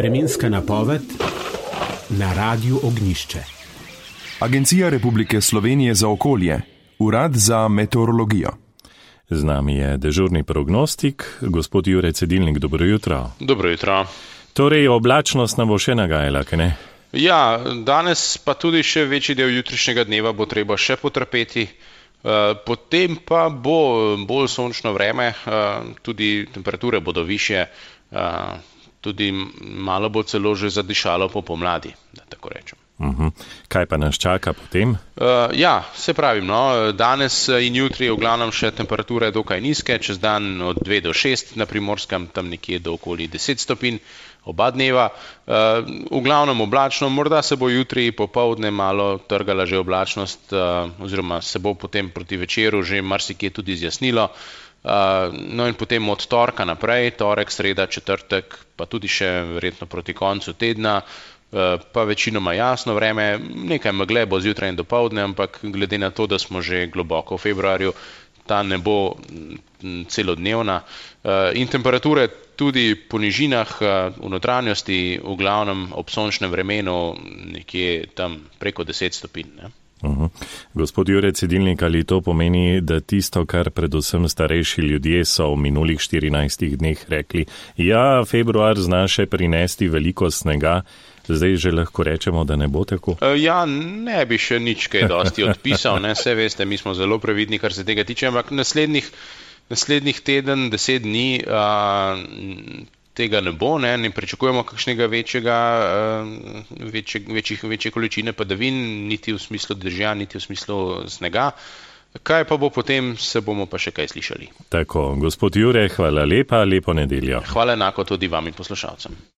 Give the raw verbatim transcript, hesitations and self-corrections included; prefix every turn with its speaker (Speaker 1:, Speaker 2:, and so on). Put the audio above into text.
Speaker 1: Vremenska napoved na Radiu Ognjišče.
Speaker 2: Agencija Republike Slovenije za okolje, Urad za meteorologijo.
Speaker 3: Z nami je dežurni prognostik, gospod Jure Cedilnik, dobro jutro.
Speaker 4: Dobro jutro.
Speaker 3: Torej, oblačnost nam bo še nagajala, kaj ne?
Speaker 4: Ja, danes pa tudi še večji del jutrišnjega dneva bo treba še potrpeti. Potem pa bo bolj sončno vreme, tudi temperature bodo višje, tudi malo bo celo že zadišalo po pomladi, da tako rečem.
Speaker 3: Uh-huh. Kaj pa nas čaka potem?
Speaker 4: Uh, ja, se pravim, no, danes in jutri v glavnem še temperature dokaj nizke, čez dan od dve do šest, na Primorskem tam nekje do okoli deset stopinj, oba dneva. Uh, v glavnem oblačno, morda se bo jutri popoldne malo trgala že oblačnost, uh, oziroma se bo potem proti večeru že marsikje tudi zjasnilo. Uh, no in potem od torka naprej, torek, sreda, četrtek, pa tudi še verjetno proti koncu tedna, pa večinoma jasno vreme, nekaj megle bo zjutraj in dopoldne, ampak glede na to, da smo že globoko v februarju, ta ne bo celodnevna. In temperature tudi po nižinah v notranjosti, v glavnem ob sončnem vremenu, nekje tam preko deset stopinj. Ne?
Speaker 3: Uh-huh. Gospod Jure Cedilnik, ali to pomeni, da tisto, kar predvsem starejši ljudje so v minulih štirinajstih dneh rekli, ja, februar zna še prinesti veliko snega, zdaj že lahko rečemo, da ne bo tako?
Speaker 4: Ja, ne bi še nič kaj dosti odpisal, ne, vse veste, mi smo zelo previdni, kar se tega tiče, ampak naslednjih, naslednjih teden, deset dni a, tega ne bo, ne, ne pričakujemo kakšnega večjega, večje, večjih, večje količine padavin, niti v smislu dežja, niti v smislu snega. Kaj pa bo potem, se bomo pa še kaj slišali.
Speaker 3: Tako, gospod Jure, hvala lepa, lepo nedeljo.
Speaker 4: Hvala enako tudi vam in poslušalcem.